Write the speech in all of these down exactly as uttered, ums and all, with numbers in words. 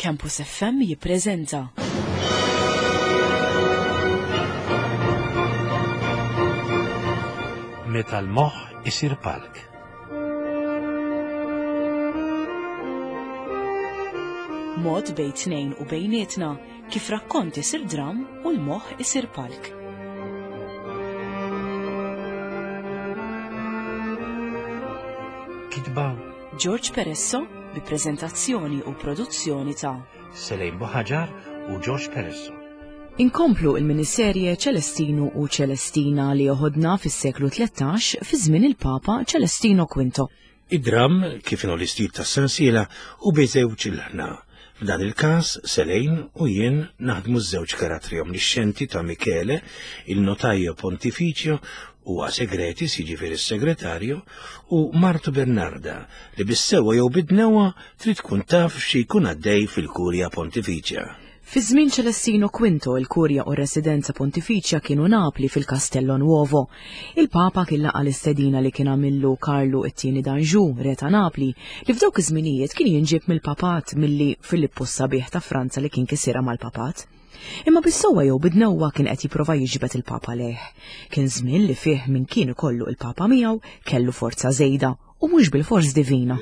Campus F M jippreżenta Meta l-moħħ isir palk. Mod bejn tnejn u bejnietna kif rakkont isir dram u l-moħħ isir palk. Kitba George Peresso bi preżentazzjoni u produzzjoni ta' Selejn Buħaġar u George Peresso. Inkomplu il-miniserje Ċelestinu u Ċelestina li joħodna fis-seklu tlettax fi żmien il-Papa Ċelestino Quinto. Id-dram, kif inhu l-istil tas-sensiela, u bejżewġ il-ħna. F'dan il-każ, Selejn u jien naħdmu ż-żewġ karattri omnixxenti ta' Michele, il-notaio pontificio, u segretis, jiġifieri s-segretarju, u martu Bernarda, li bis-sewwa jew bid-dnewwa trid tkun taf xi jkun għaddej fil-Kurja Pontifiċja. Fi żmien Ċelestino Quinto, il-Kurja u r-Residenza Pontifiċja kienu Napli fil-Castello Nuovo. Il-Papa kien laqa l-istedina li kien għamillu Karlu it-tieni d'Anjou, re ta' Napli, li f'dawk iż-żminijiet kien jinġib mill-Papat milli Filippu s-Sabiħ ta' Franza li kien kisira mal-Papat. Imma bis-sewwa jew bid-dnewwa kien qed jipprova jiġbed il-Papa lejh. Kien żmien li fih min kien ikollu il-Papa miegħu kellu forza żejda u mhux bil-fors divina.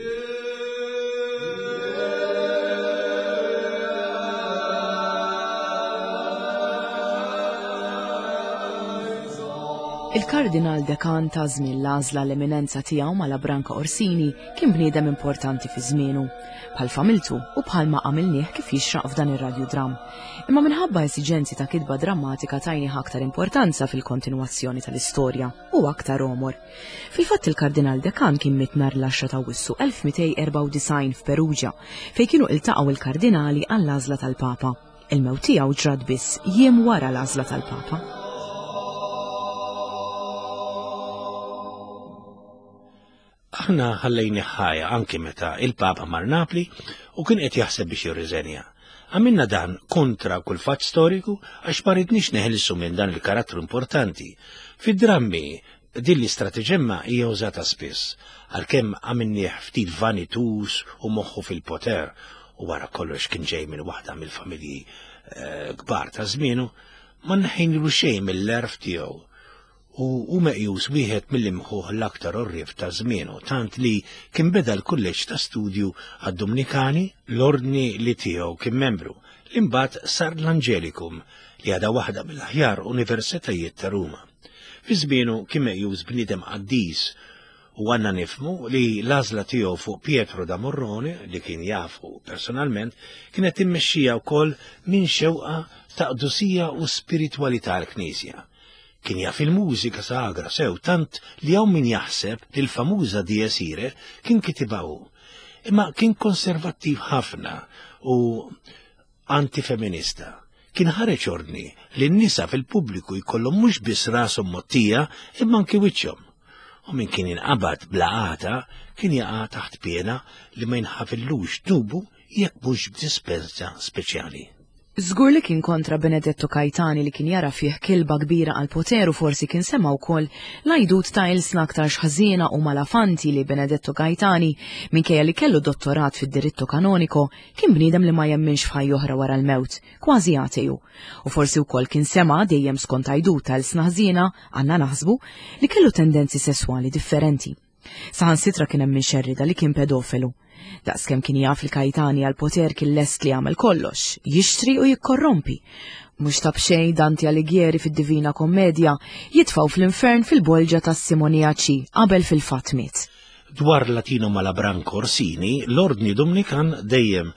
Il-Kardinal Dekan ta' żmien l-għażla l-eminenza tiegħu Malabranca Orsini kien bniedem importanti fi żmienu, bħal familtu u bħalma għamilnieh kif jixraq f'dan ir-radjudram. Imma minħabba esiġenzi ta' kitba drammatika tajnih aktar importanza fil-kontinwazzjoni tal-istorja u aktar omor. Fil-fatt il-Kardinal Dekan kien miet nhar l-għaxra ta' Awwissu elf mitejn erbgħa u disgħin f'Perugia, fejn kienu iltaqgħu il-kardinali għall-għażla tal-Papa. Il-mewt tiegħu ġrat biss jiem wara l-għażla tal-Papa. Aħna ħallejni ħajja anki meta il-Papa mar Napli u kien qed jaħseb biex jirriżenja. Għamilna dan kontra kull fatt storiku għax ma ridniex neħilsu minn dan il-karattru importanti. Fid-drammi din l-istrateġemma hija użata spiss, għalkemm għamilnieh ftit vanitus u moħħu fil-poter u wara kollox kien ġej minn waħda mill-familji eh, kbar ta' żmienu, ma nħinlu xejn mill-għerf tiegħu u hu meqjus wieħed mill-imħuħ l-aktar orrif ta' żmienu, tant li kien beda l-kulleġġ ta' studju għad-Dominikani, l-ordni li tiegħu kien membru, li mbagħad sar l-Angelicum, li għadha waħda mill-aħjar universitajiet ta' Ruma. Fi żmienu kien meqjus bniedem qaddis u għandna nifhmu li l-għażla tiegħu fuq Pietro da Morrone, li kien jafu personalment, kienet immexxija wkoll minn xewqa ta' qdusija u spiritwalità l-Knisja. Kien jaf il-mużika sagra sew tant li hawn min jaħseb li l-famuża Dies Irae kien kitibha hu. Imma kien konservattiv ħafna u antifeminista. Kien ħareġ ordni li n-nisa fil-pubbliku jkollhom mhux biss rashom mgħottija imma anki wiċċhom. U min kien inqabad bla għata kien jaqa' taħt piena li ma jinħafillux dnubu jekk mhux b'dispensa speċjali. Żgur li kien kontra Benedetto Caetani li kien jara fih kilba kbira għal poter u forsi kien sema wkoll l-għajdut ta' ilsna aktar ħażiena u malafanti li Benedetto Caetani, minkejja li kellu dottorat fid-diritto kanoniko, kien bniedem li ma jemminx f'ħajja oħra wara l-mewt, kważi ateju. U forsi wkoll kien sema dejjem skont għajdut ta' ilsna ħażina, għandna naħsbu, li kellu tendenzi sesswali differenti. Saħansitra kien hemm min xerrida li kien pedofilu. Daqskemm kien jaf il-Caetani għal poter kien lest li jagħmel kollox, jixtri u jikkorrompi. Mhux ta' b'xejn Dante Alighieri fid-Divina Kommedja jitfgħu fl-infern fil-bolġa tas-Simoniaċi qabel fil-fatt miet. Dwar Latino Malabranco Orsini, l-ordni Dominikan dejjem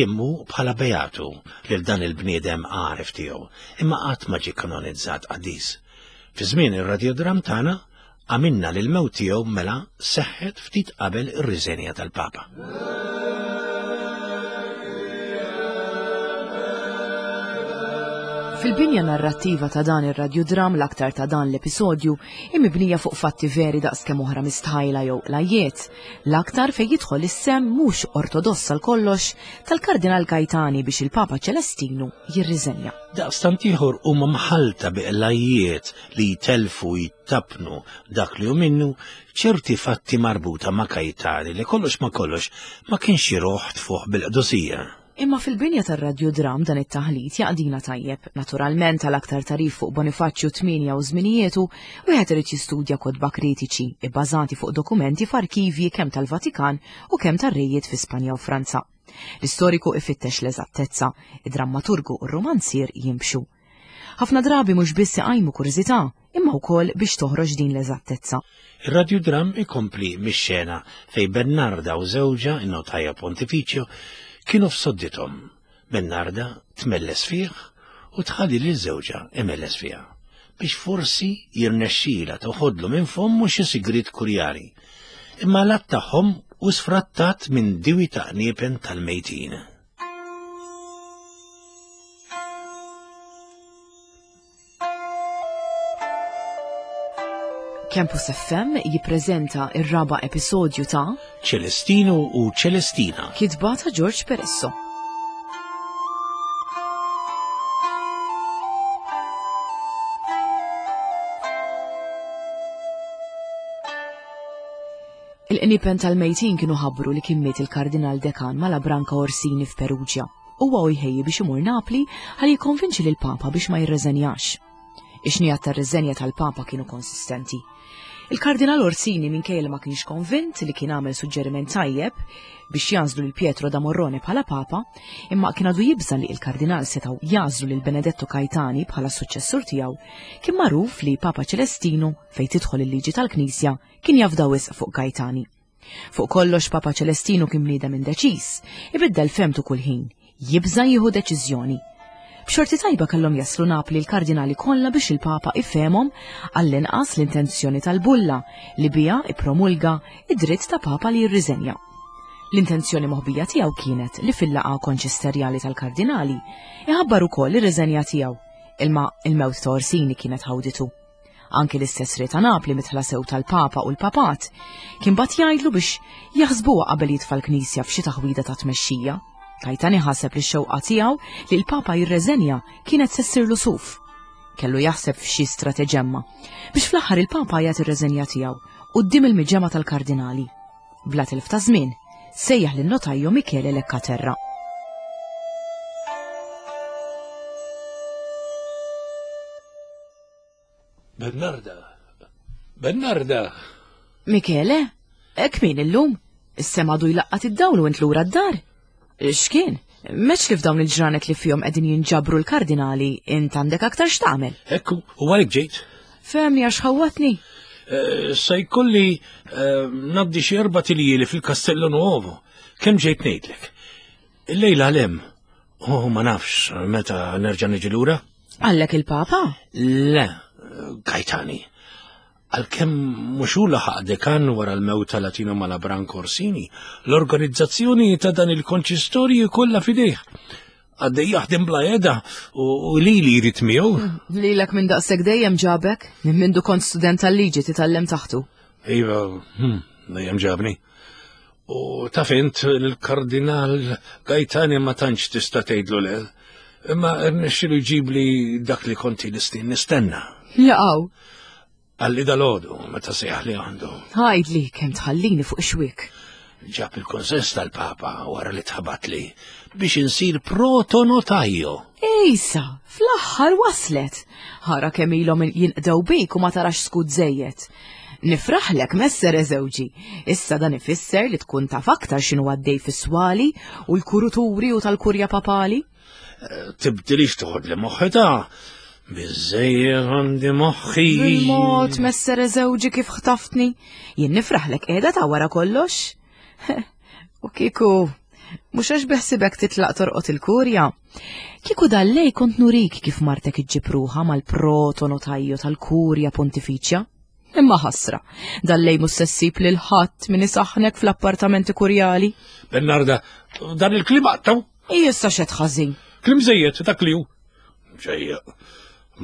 immu bħala beatu lil dan il-bniedem għaref tiegħu, imma qatt ma ġie kanonizzat qaddis. Fi żmien ir-radiodram tagħna għamilna li l-mewt tiegħu mela seħħet ftit qabel ir-riżenja tal-Papa. Fil-binja narrattiva ta' dan ir-radjudram l-aktar ta' dan l-episodju imibnija fuq fatti veri daqskemm oħra mistħajla jew qlajjiet, l-aktar fejn jidħol is-sem mhux ortodoss għal kollox tal-Kardinal Caetani biex il-Papa Ċelestinu jirriżenja. Daqstant ieħor huma mħalta bi qlajjiet li jtelfu jittapnu dak li hu minnu ċerti fatti marbuta ma' Caetani li kollox ma kollox ma kienx iruħ tfuħ bil-qdusija. Imma fil-binja tar-radjodram dan it-taħlit jaqdina tajjeb. Naturalment għal aktar tarif fuq Bonifaċċju tmienja u żminijietu, wieħed irid jistudja kotba kritiċi ibbażati fuq dokumenti f'arkivji kemm tal-Vatikan u kemm tar-rejiet fi Spanja u Franza. L-istoriku ifittex l-eżattezza, id-drammaturgu u r-romanzier jimxu. Ħafna drabi mhux biss iqajmu kurżità, imma wkoll biex toħroġ din l-eżattezza. Ir-radjodram ikompli mix-xena fejn Bernarda u żewġha in-notaja Pontificio kienu f'soddithom. Bernarda tmelles fih u tħalli lil żewġha imelles fiha biex forsi jirnexxila toħodlu minn fommu xi sigriet kurjali. Imma l-att tagħhom u sfrattat minn diwi ta' qniepen tal-mejtin. Campus F M jippreżenta ir-raba' episodju ta' Ċelestino u Ċelestina, kitba ta' George Peresso. Il-qniepen tal-mejtin kienu ħabbru li kien miet il-Kardinal Dekan Malabranca Orsini f'Perugia. Huwa u jħejji biex imur Napli ħalli jikkonvinċi lil Papa biex ma jirreżenjax. Ix-xnijat tar-riżenja tal-Papa kienu konsistenti. Il-Kardinal Orsini minkejja li ma kienx konvint li kien għamel suġġeriment tajjeb biex jażlu lil Pietro da Morrone bħala Papa, imma kien għadu jibża li il-Kardinal setgħu jażlu lil Benedetto Caetani bħala suċċessur tiegħu, kien magħruf li Papa Ċelestinu fejn tidħol il-liġi tal-Knisja kien jafda wisq fuq Caetani. Fuq kollox Papa Ċelestinu kien bniedem indeċiż, ibiddel femtu kull ħin, jibża jieħu deċiżjoni. B'xorti tajba kellhom jaslu Napli l-kardinali kollha biex il-Papa ifhemhom għall-inqas l-intenzjoni tal-bulla li biha ippromulga id-dritt ta' Papa li jirriżenja. L-intenzjoni moħbija tiegħu kienet li fil-laqgħa konċisterjali tal-kardinali iħabbar ukoll ir-riżenja tiegħu, imma il-mewt ta' Orsini kienet ħawditu. Anki l-istess re ta' Napli mitħla sew tal-Papa u l-Papat kien bat jgħidlu biex jaħsbuha qabel jitfa' l-Knisja f'xi taħwida ta' tmexxija. Caetani ħaseb li x-xewqa tiegħu li l-Papa jirreżenja kienet se ssirlu suf. Kellu jaħseb f'xi strateġemma biex fl-aħħar il-Papa jagħti r-reżenja tiegħu quddiem il-miġemgħa tal-kardinali. Bla tilf ta' żmien, sejjaħ lin-notajju Michele Leccaterra. Bernarda, Bernarda. Michele, hekk min illum? Is-sema għadu jlaqqat id-dawl u int lura d-dar? X'kien? Meċ li f'dawn il-ġranet li fihom qegħdin jinġabru l-kardinali int għandek aktar x'tagħmel? Ekku, u għalhekk ġejt. Fehmni għax ħawwatni. Eh, se jkolli, eh, ngħaddi xi erba' tiljieli fil-Castello Nuovo. Kemm ġejt ngħidlek? Illejla l-hemm. Oh, ma nafx meta nerġa' niġi lura. Għallek il-Papa? Le, Caetani. Għalkemm mhux hu laħaq dekan wara l-mewt ta' Latino Malabranca Orsini, l-organizzazzjoni ta' dan il-konċistorju kollha f'idejh. Għaddej jaħdem bla qiegħda u, u lili jrid miegħu. Lilek minn daqshekk dejjem ġabek, minn mindu kont student tal-liġi titgħallem taħtu. Iva, hmm, dejjem ġabni. U taf int l-Kardinal Gaetani ma tantx tista' tgħidlu le. Imma rnexxielu jġibli dak li konti nistin nistenna. Jaqgħu. Għalli dal-għodu, meta sejjaħ li għandu. Għajdli kemm tħallini fuq xwiek. Ġab il-konsens tal-Papa wara li tħabat li biex insir protonotajo. Ejsa, fl-aħħar waslet. Ħara kemm ilhom jinqdew bik u ma tarax skud żejjed. Nifraħlek messer eżewġi. Issa dan ifisser li tkun taf aktar x'inhu għaddej fis-swali u l-kuruturi u tal-kurja papali. Eh, tibdilix toħod li moħħi ta' biżejjed għandi moħħi. Bil-mod messer eżewġi kif ħtaftni. Jien nifraħlek qiegħda ta' wara kollox. U kieku, mhux għax beħsibek titlaq torqod il-kurja. Kieku dallej kont nurik kif martek iġġib ruħha mal-protonotajju tal-kurja pontifiċja. Imma ħasra, dallej mhux se ssib lil ħadd min isaħħnek fl-appartamenti kurjali. Bernarda, dan il-klim aqtaw? Issa xed ħażin. Klim żejjed, dak li hu. Ġejja,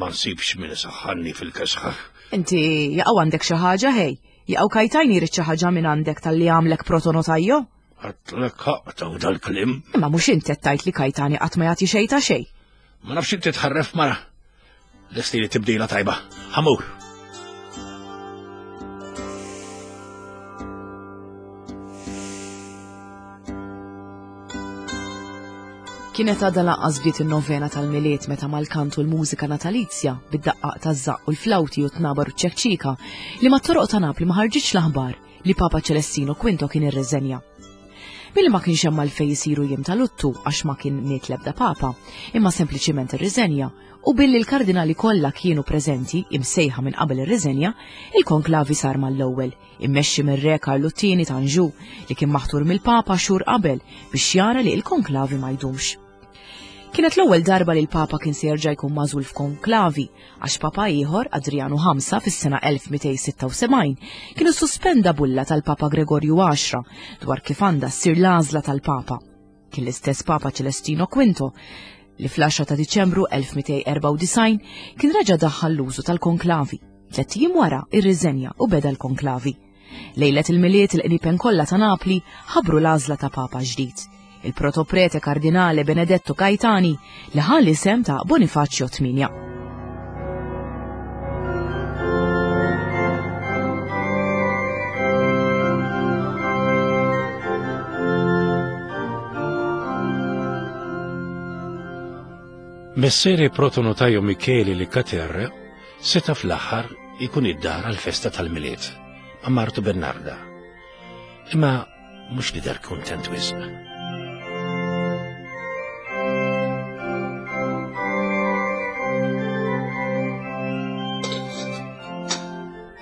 ma nsibx min isaħħanni fil-kesħa. Inti jaqgħu għandek xi ħaġa ħej? Jaqgħu Kajtajni jrid xi ħaġa minn għandek tal-li għamlek protonotajjo? Għatlek aqtaw dal-klim. Imma mhux inti qed tgħid li Kajtani qatt ma jagħti xejn ta' xejn. Ma nafx inti tħarref mara. Lesti li tibdila tajba. Ħamur. Kienet għadha lanqas bdiet in-novena tal-Milied meta mal-kantu l-mużika natalizja bid-daqqaq taż-żaqq u l-flawti u t-tnabar u ċ-ċekċika li mat-toroq ta' Napli ma ħarġitx l-aħbar li Papa Ċelestino Quinto kien irriżenja. Billi ma kienx hemm għalfejn isiru jiem ta' luttu għax ma kien miet l-ebda Papa, imma sempliċiment irriżenja, u billi l-kardinali kollha kienu preżenti imsejħa minn qabel ir-riżenja, il-konklavi sar mal-ewwel, immexxi mir-Re Karlu t-tieni ta' Anjou li kien maħtur mill-Papa xhur qabel biex jara li l-konklavi ma jdumx. Kienet l-ewwel darba li l-Papa kien se jerġa' jkun magħżul f'konklavi għax Papa ieħor, Adrianu ħamsa, fis-sena elf mitejn sitta u sebgħin, kien issuspenda bulla tal-Papa Gregorju għaxra dwar kif għandha ssir l-għażla tal-Papa. Kien l-istess Papa Ċelestino Quinto li fl-għaxra ta' Diċembru elf mitejn erbgħa u disgħin kien reġa' daħħal l-użu tal-konklavi. Tliet ijiem wara irriżenja u beda l-konklavi. Lejlet il-Milied il-qniepen kollha ta' Napli ħabbru l-għażla ta' Papa ġdid, il-protoprete Kardinale Benedetto Gaetani li ħa l-isem ta' Bonifacio tmienja. Messere Protonotaio Michele Liccaterra seta fl-aħħar ikun id-dar għal-festa tal-Milied ma' martu Bernarda. Imma mhux li dar kuntent wisq.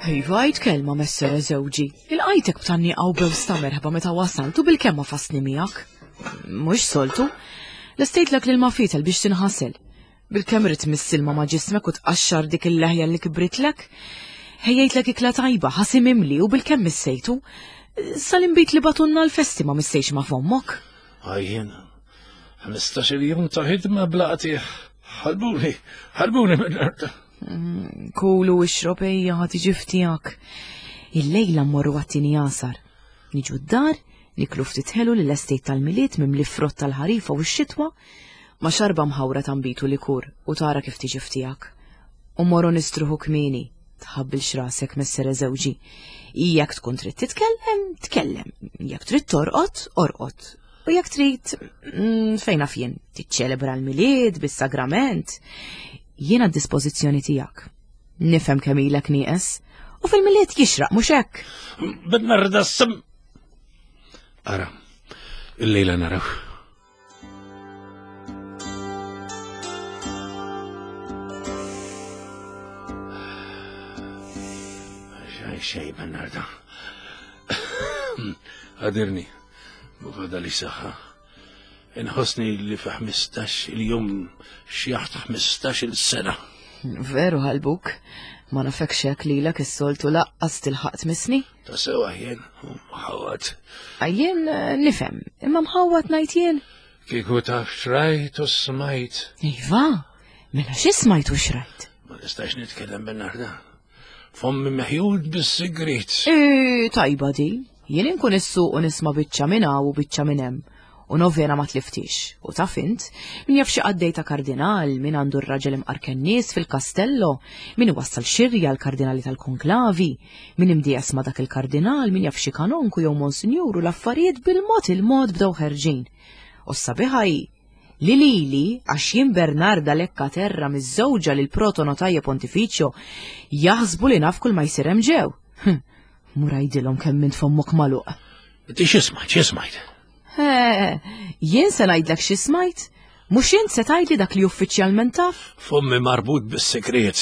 Iva, għid kelma, messere żewġi. Il-qajtek b'tanni għaw bews ta' merħba meta wasaltu bil-kemm ma fasni miegħek. Mhux soltu. Lestejtlek lil mafitel biex tinħasel. Bil-kemm rid missilma ma' ġismek u tqaxxar dik il-leħja li kibritlek. Ħejjejtlek ikla tajba, ħasim imli u bil-kemm missejtu. Sal-inbit li batunna l-festi ma missejx ma' fommok. Għajjen, ħmistax-il jum ta' ħidma bla qtigħ. Ħalbuni, ħalbuni minn Mm, Kulu ixrob ejja ħa tiġi ftijak. Il-lejla mmorru għat-tieni għasar. Niġu d-dar, niklu ftit ħelu li l-estate tal-Milied mimli frott tal-ħarifa u x-xitwa, ma xarba mħawra ta' nbid u likur u tara kif tiġi ftijak. U mmorru nistruħu kmieni, tħabbilx rasek messere żewġi. Jekk tkun trid titkellem, tkellem. Jekk trid torqod, orqod. U jekk trid, mm, fejn naf jien, tiċċelebra l-Milied bis-sagrament, jiena d-dispożizzjoni tiegħek. Nifhem kemm ilek nieqes, u fil-Milied jixraq mhux hekk. Bernarda sem. Ara, il-lejla naraw. Xej, xej, Bernarda. Għadirni, bufada li saħħa. Inħossni li fi ħmistax il-jum xjaħt ħmistax il-sena. Veru ħalbuk, ma nafekx hekk lilek is-soltu laqqas tilħaq tmissni? Ta' sewa jien, mħawad. Jien nifhem, imma mħawad ngħid jien. Kieku taf xrajt u smajt. Iva, mela xi smajt u xrajt? Ma nistax nitkellem Bernarda. Fommi meħjud bis-sigriet. E, tajba di, jien inkun is-suq u nisma' biċċa minn hawn u biċċa minn hemm. U novena ma tliftix. U taf int, min jaf xi qaddej ta' kardinal, min għandu r-raġel imqarken nies fil-kastello, min iwassal xirja l-kardinali tal-konklavi, min imdijas ma' dak il-kardinal, min jaf xi kanonku jew monsinjur u l-affarijiet bil-mod il-mod bdew ħerġin. U s-sabiħa hi li lili, għax jien Bernarda Leccaterra miż-żewġa lil protonotaja pontifiċjo, jaħsbu li naf kull ma jsir hemm ġew. Hm, mur għidilhom kemm int fommok magħluq. Inti x'ismajt, x'ismajt? Eh, jien se ngħidlek xi smajt? Mhux int se tgħidli dak li uffiċjalment taf? Fommi marbut bis-sigriet.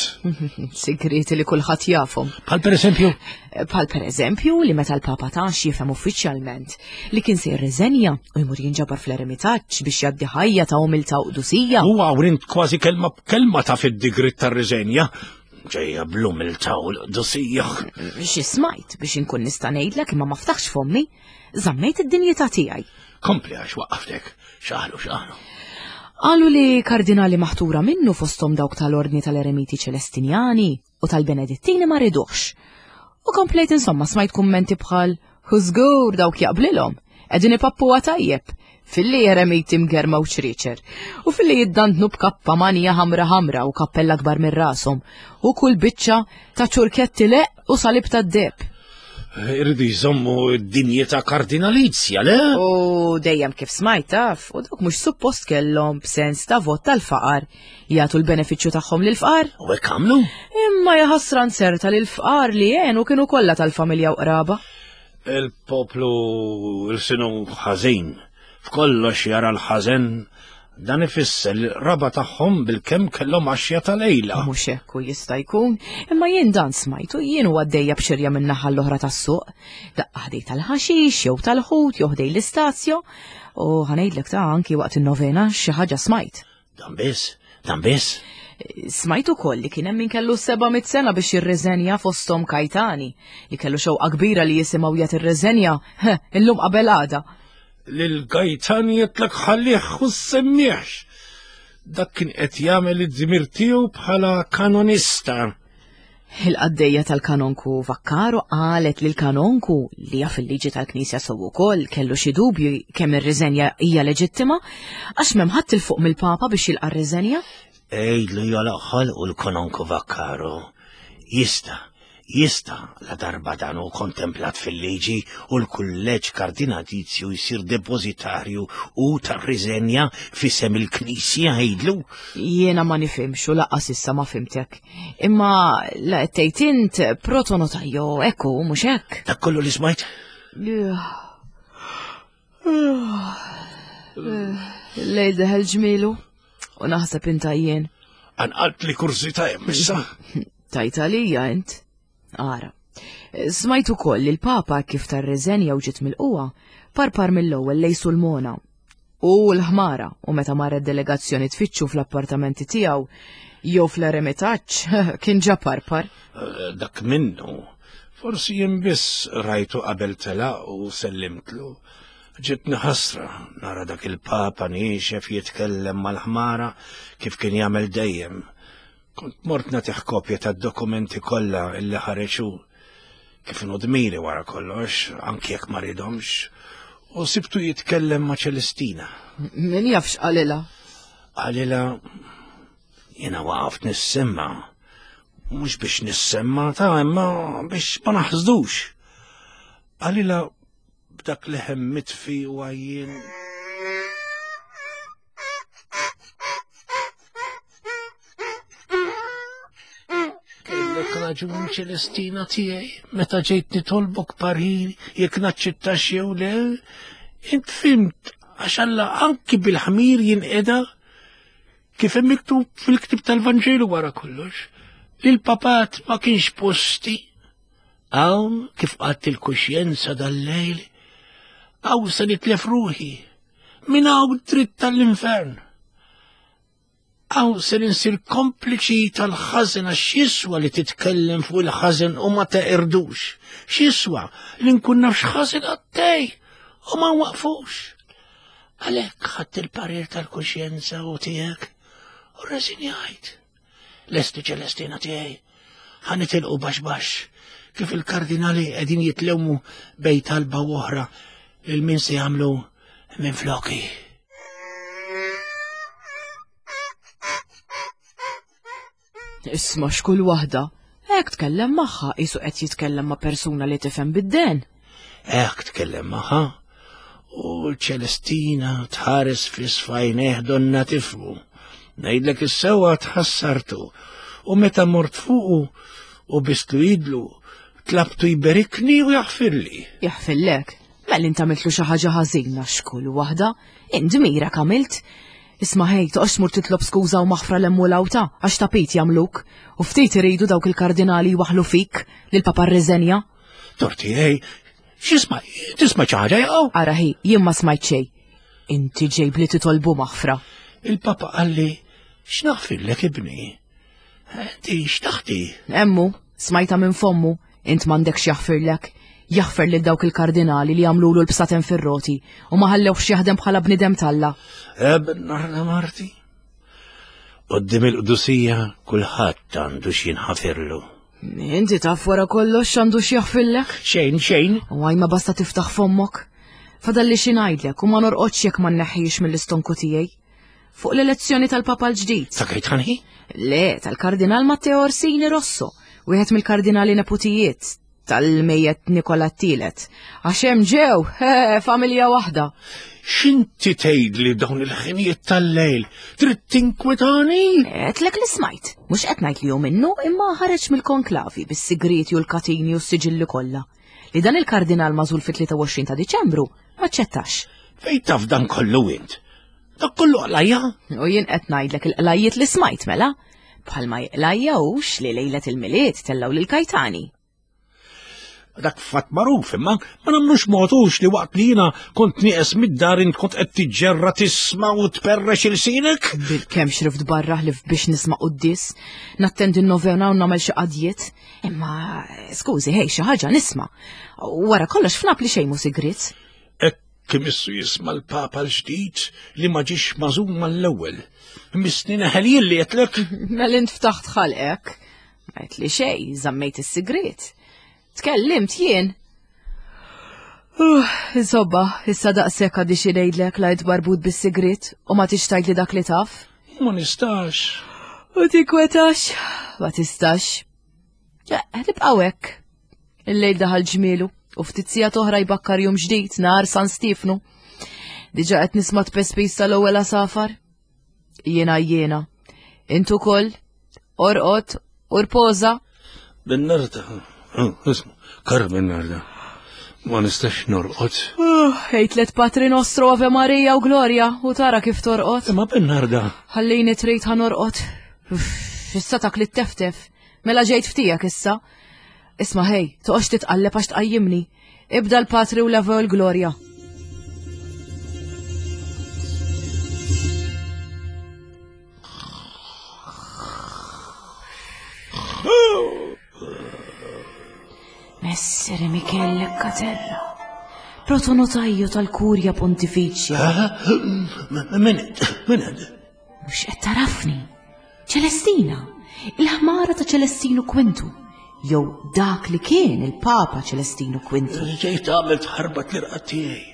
Sigrieti li kulħadd jafhom. Bħal pereżempju? Bħal pereżempju li meta l-Papa tax jifhem uffiċjalment li kien se jirriżenja u jmur jinġabar fl-eremitaġġ biex jgħaddi ħajja ta' umiltà u qdusija. Huwa hawn int kważi kelma b'kelma ta' fid-digrit tar-riżenja. Ġejja bl-umiltà u l-qdusija. Xi smajt biex inkun nista' ngħidlek imma ma ftaħx fommi, żammejt id-dinjità tiegħi. Kompli għax waqqaftek, xaħlu xaħlu. Qalu li kardinali maħtura minnu fosthom dawk tal-Ordni tal-Eremiti Ċelestinjani u tal-Benedittini ma riduhx. U komplejt insomma smajt kummenti bħal hu żgur dawk jaqblilhom, qegħdin ipappuha tajjeb, filli eremiti mgerma u ċriċer, u filli jiddandnu b'kappa manija ħamra ħamra u kappella kbar minn rashom, u kull biċċa ta' ċurketti leq u salib tad-deb. Irridu jżommu d-dinjità kardinalizja, le? U dejjem kif smajt taf, u dawk mhux suppost kellhom b'sens ta' vot tal-faqar jagħtu l-benefiċċju tagħhom lill-fqar. U hekk għamlu? Imma jaħasra nserta li l-fqar li għenu kienu kollha tal-familja u qraba. Il-poplu il-sinu ħażin, f'kollox jara l-ħażen, dan ifisser li l-qraba tagħhom bilkemm kellhom għaxja ta' lejla. Mhux hekk u jista' jkun, imma jien dan smajtu jien u għaddejja b'xirja minn naħa l-oħra tas-suq. Daqqa ħdej tal-ħaxix jew tal-ħut jew ħdej l-istazjo u ħa ngħidlek ta' anki waqt in-novena xi ħaġa smajt. Dan biss, dan biss. Smajt ukoll li kien hemm min kellu seba' mitt sena biex jirreżenja fosthom Kajtani, li kellu xewqa kbira li jisimgħu jagħti ir-reżenja illum qabel għada. Lil Gajtani jitlek ħallih u semmiex. Dak kien qed jagħmel id-dmir tiegħu bħala kanonista. Il-qaddejja tal-kanonku Vaccaro qalet lil kanonku li jaf il-liġi tal-Knisja sew ukoll kellu xi dubju kemm ir-riżenja hija leġittima għax m'hemm ħadd il fuq mill-Papa biex jilqa' r-riżenja. Għidlu jagħlaq ħalqu l-kanonku Vaccaro. Jista', jista' la darba dan hu kontemplat fil-liġi u l-kulleġġ kardinalizju jsir depozitarju u tar-riżenja f'isem il-Knisja għidlu. Jiena ma nifhimx u lanqas issa ma fhimtek. Imma la qed tgħid int protonotajo ekku mhux hekk. Dak kollu li smajt? Lejl deħel ġmielu u naħseb inta jien. Anqalt li kurżità hemm issa. Tajt għalija int. Ara. Smajt ukoll li l-Papa kif tar-reżenja u ġiet mill-qwa, parpar mill-ewwel lejn Sulmona. U l-ħmara u meta marret delegazzjoni tfittxu fl-appartamenti tiegħu jew fl-eremitaġġ kien ġa parpar. Eh, Dak minnu. Forsi jien biss rajtu qabel telaq u sellimtlu. Ġitni ħasra nara dak il-Papa niexef jitkellem mal-ħmara kif kien jagħmel dejjem. Kont mort nagħtih kopja tad-dokumenti kollha illi ħareġ hu. Kif inhu dmiri wara kollox, anki jekk ma ridomx, u sibtu jitkellem ma' Ċelestina. Min jaf x'qalilha? Qalilha jiena waqaft nissemma. Mhux biex nissemma ta' imma biex ma naħsdux. Qalilha b'dak leħen mitfi u għajjien. Kellek raġun Ċelestina tiegħi meta ġejt nitolbok parir jekk naċċettax jew le, int fhimt għax Alla anki bil-ħmir jinqeda kif hemm miktub fil-ktib tal-Vanġelu wara kollox, li l-papat ma kienx posti. Hawn kif qatt il-kuxjenza dal-lejl, hawn se nitlef ruħi, minn hawn dritt tal-infern. Hawn se ninsir kompliċi tal-ħażen għax x'jiswa li titkellem fuq il-ħażen u ma teqirdux. X'jiswa li nkun naf x'ħażen għaddej u ma nwaqfux. Għalhekk ħadt il-parir tal-kuxjenza u tiegħek u rreżinjajt. Lesti Ċelestina tiegħi, ħa nitilqu baxx baxx kif il-kardinali qegħdin jitlewmu bejn talba u oħra lil min se jagħmlu minn floki. Isma' x'kull waħda. Hekk tkellem magħha qisu qed jitkellem ma' persuna li tifhem bid-den. Hekk tkellem magħha u Ċelestina tħares fi sfajneh donna tifmu. Ngħidlek is-sewwa tħassartu u meta mort fuqu u bistlu idlu tlabtu jberikni u jaħfirli. Jaħfirlek? Mela int għamiltlu xi ħaġa ħażina x'kull waħda, int dmirek għamilt. Isma' ħej, toqgħodx tmur titlob skuża u maħfra l-hemm u l-awta għax tapit jagħmluk u ftit iridu dawk il-kardinali jwaħħlu fik li l-Papa rriżenja. Torti ej, x'isma' tisma' xi ħaġa jew? Ara ħi, jien ma smajt xejn. Inti ġejb li titolbu maħfra. Il-Papa qalli, x'naħfirlek ibni? Inti x'taħti? Emmu, smajta minn fommu, int m'għandekx jaħfirlek. Jaħfer lil dawk il-kardinali li għamlulu l-bsaten fir-roti u ma ħallewx jaħdem bħala bniedem talla. Ebn narna marti. Qoddim il-qdusija kulħadd għandu x'jinħafirlu. Inti taf wara kollox għandu x'jaħfirlek? Xejn, xejn. U għaj ma basta tiftaħ fommok. Fadalli xi ngħidlek u ma norqodx jekk ma nneħħix mill-istonku tiegħi. Fuq l-elezzjoni tal-Papa l-ġdid. Ta' Gajtani? Le, tal-Kardinal Matteo Orsini Rosso, wieħed mill-kardinali neputijiet Tal-mejjet Nikola t-tielet. Għax hemm ġew, familja waħda. X'inti tgħidli dawn il-ħinijiet tal-lejl? Trid tinkwetani? Għedtlek li smajt. Mhux qed ngħid li hu minnu, imma ħareġ mill-konklavi bis-sigriti u l-katini u s-siġilli kollha. Li dan il-kardinal magħżul fit-tlieta u għoxrin ta' Diċembru ma ċċettax. Fejn taf dan kollu int? Dak kollu qlajja? U jien qed ngħidlek il-qlajjiet li smajt mela. Bħalma jqlajja hux li lejlet il-Milied tellgħu lil Kajtani. Dak fatt magħruf, imma ma nagħmlux modux li waqt li jiena kont nieqes mid-dar int kont qed tiġġerra tisma' u tperrex ilsinek? Bil-kemm xrift barra ħlif biex nisma' quddis, nattendi n-novena u nagħmel xi qadjiet. Imma skużi, ħej, xi ħaġa nisma'. Wara kollox f'Napli xejn mhu sigriet. Hekk imissu jisma' l-Papa l-ġdid li ma ġiex magħżum mal-ewwel. Missni neħel jien li qedlek. Mela int ftaħt ħalqek. Ma għedtli xejn, żammejt is-sigriet. Tkellimt jien. Uh, insomma, issa daqshekk għaddi xi ngħidlek lajt barbut bis-sigriet u ma tix tgħidli dak li taf. Ma nistax. U tinkwetax, ma tistax. Eh, nibqgħu hekk. Il-lejl daħal ġmielu u ftit sigħat oħra jbakkar jum ġdid nhar San Stiefnu. Diġà qed nisma' tpespis tal-ewwel għasafar. Jiena jiena. Int ukoll, orqod u rpoża. Bennarda. Isma, Carmen Narda, ma nistax norqod. Ejt let Patri Nostro, Ave Maria u Gloria u tara kif torqod. Imma Bennarda. Ħallini trid ħa norqod. Issa tak li teftef. Mela ġejt ftijak issa. Isma' ħej, toqgħodx titqalleb għax tqajjimni. Ibda l-Patri u l-Ave u l-Gloria. Messere Michele Caterra, protonotaio tal-Kurja Pontificia. Min int? Min int? Mhux qed tarafni. Ċelestina, il-ħmara ta' Ċelestinu Kwintu, jew dak li kien il-Papa Ċelestinu Kwintu. Ġejt għamilt ħarbat l-irqad tiegħi.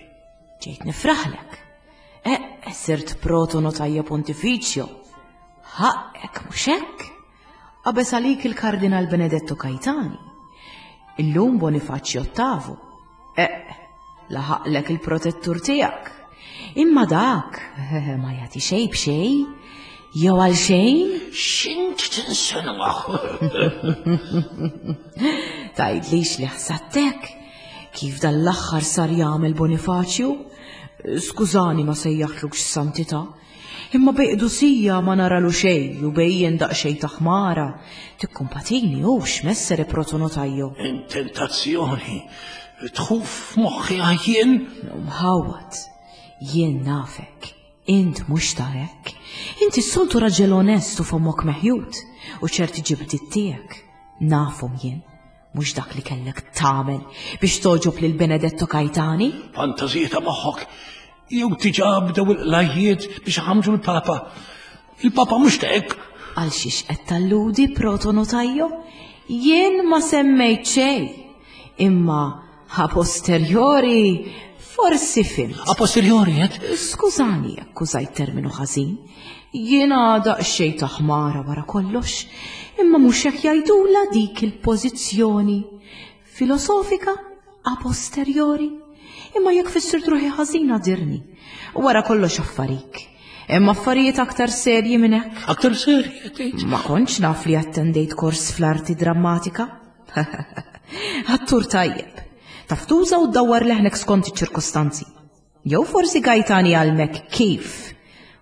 Ġejt nifraħlek. Eh, sirt protonotaio Pontificio. Ħaqek mhux hekk? Qabeż għalik il-Kardinal Benedetto Caetani. Illum Bonifacio Ottavo. Eh, laħaqlek il-protettur tiegħek. Imma dak ma jagħti xejn b'xejn, jew għal xejn. X'int tinsinwa? Tgħidlix li ħsadtek kif dan l-aħħar sar jagħmel Bonifacio? Skużani ma sejjaħtlux santità, imma bejqdusija ma naralu xejn u bejjen daqsxejn ta' ħmara. Tikkumpatini hux messere protonotaio. Intentazzjoni tħuf moħħi għajjien. Mħawad, jien nafek, int mhux ta' hekk. Inti s-soltu raġel onest u fomok meħjut u ċerti ġibdiet tiegħek. Nafhom jien, mhux dak li kellek tagħmel biex toġob lil Benedetto Caetani. Fantażija ta' moħħok. Jew tiġa bdew il-qlajjiet biex ħamġu l-Papa. Il-Papa mhux ta' hekk. Għal xiex qed talludi protonotaio? Jien ma semmejt xejn. Imma a posteriori forsi fimt. A posteriori qed? Skużani jekk użajt terminu ħażin. Jiena daqsxejn ta' ħmara wara kollox, imma mhux hekk jgħidula dik il-pożizzjoni filosofika a posteriori. Imma jekk fissirt ruħi ħażina dirni. Wara kollox affarik. Hemm affarijiet aktar serji minn hekk. Aktar serji tgħid? Ma kontx naf li attendejt kors fl-arti drammatika. Attur tajjeb. Taf tuża u ddawwar leħnek skont iċ-ċirkostanzi. Jew forsi Gaetani għalmek kif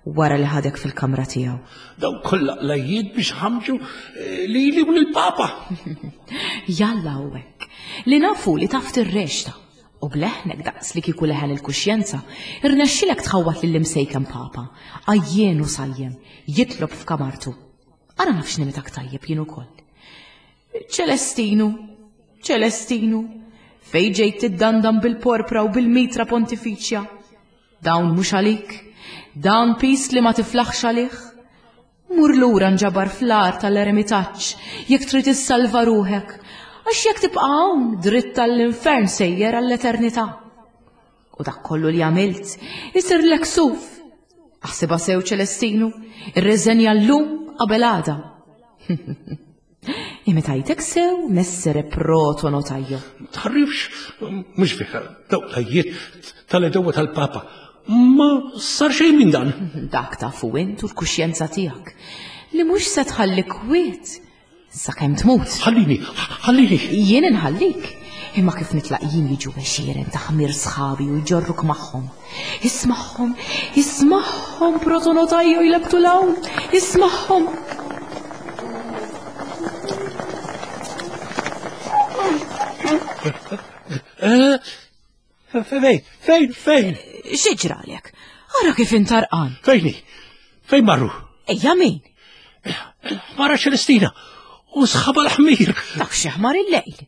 wara li ħadek fil-kamra tiegħu. Daw kollha qlajjiet biex ħamġu lili u lill-Papa. Jalla u hekk. Li nafu li taf tirrexta. U bleħnek daqs li kieku leħen il-kuxjenza, irnexxilek tħawwat lill-imsejken Papa, għajjien u sajjem, jitlob f'kamartu. Ara naf x'nimitak tajjeb jien ukoll. Ċelestinu, Ċelestinu, fej ġejt tiddandan bil-porpra u bil-mitra pontifiċja. Dawn mhux għalik, dawn pis li ma tiflaħx għalih. Mur lura nġabar fl-art tal-eremitaġġ jekk trid issalva ruħek, għax jekk tibqa' hawn dritt tal-infern sejjer għall-eternità. U dak kollu li għamilt isirlek suf. Aħsibha sew Ċelestinu, irreżenja llum qabel għada. Imitajtek sew messere protonotajo. Tħarrifx, mhux vera, dawk l-għajjiet tal-edewa tal-Papa. Ma sar xejn minn dan. Dak tafu int u l-kuxjenza tiegħek li mhux se tħalli kwiet sakemm tmut. Ħallini, ħallini. Jien inħallik. Imma kif nitlaq jien jiġu għexieren ta' ħmir sħabi u jġorruk magħhom. Ismagħhom, ismagħhom protonotajo jlebtu l-hawn, ismagħhom. Eh, Fejn, fejn, fejn? X'ġralek? Ara kif intarqan. Fejni? Fejn marru? Ejja min? Mara Ċelestina u sħaba l-ħmir. Dak xi ħmar il-lejl.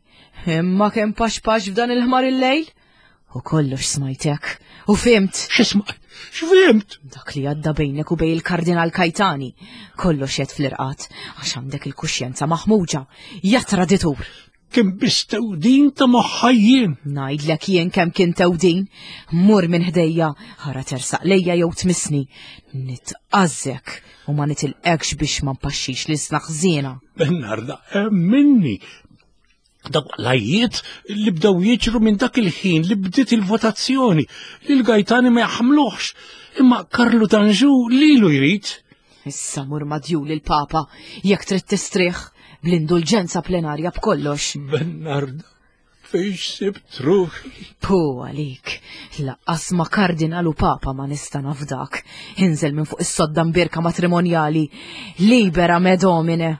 Imma kemm pax pax f'dan il-ħmar il-lejl? U kollox smajtek. U fimt. X'isma' x'fimt? Dak li għadda bejnek u bej il-Kardinal Kajtani. Kollox jed fl-irqat, għax għandek il-kuxjenza maħmuġa. Ja traditur. Kien biss tewdin ta' moħħajjien. Ngħidlek jien kemm kien tewdin. Mur minn ħdejja, ħara tersaq lejja jew tmissni. Nitqażżek u ma nitilqekx biex ma npaxxix li sna ħżiena. Bernarda, minni. Dawk l-għajjiet li bdew jiġru minn dak il-ħin li bdiet il-votazzjoni li l-Gajtani ma jaħmluhx. Imma Karlu d'Anjou lilu jrid. Issa mur madjul il-Papa jekk trid tistrieħ bl-indulġenza plenarja b'kollox. Bernarda, fejn sibt ruħi? Pu għalik, laqqas ma kardinal u papa ma nista' nafdak. Inżel minn fuq is-sodda mbierka matrimonjali. Libera me domine.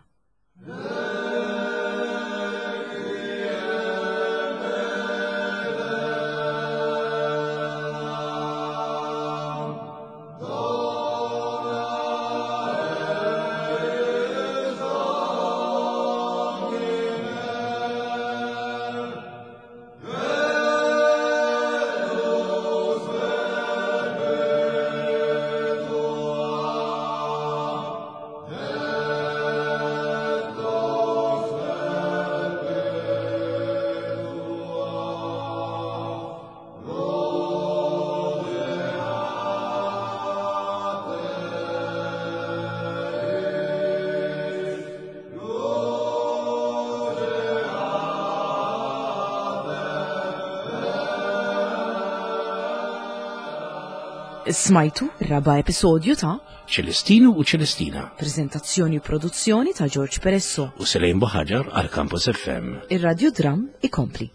Smajtu raba episodju ta' Ċelestinu u Ċelestina prezentazzjoni u produzzjoni ta' George Peresso. u Selejn Buħaġar għal Campus F M. Ir-Radjodram ikompli.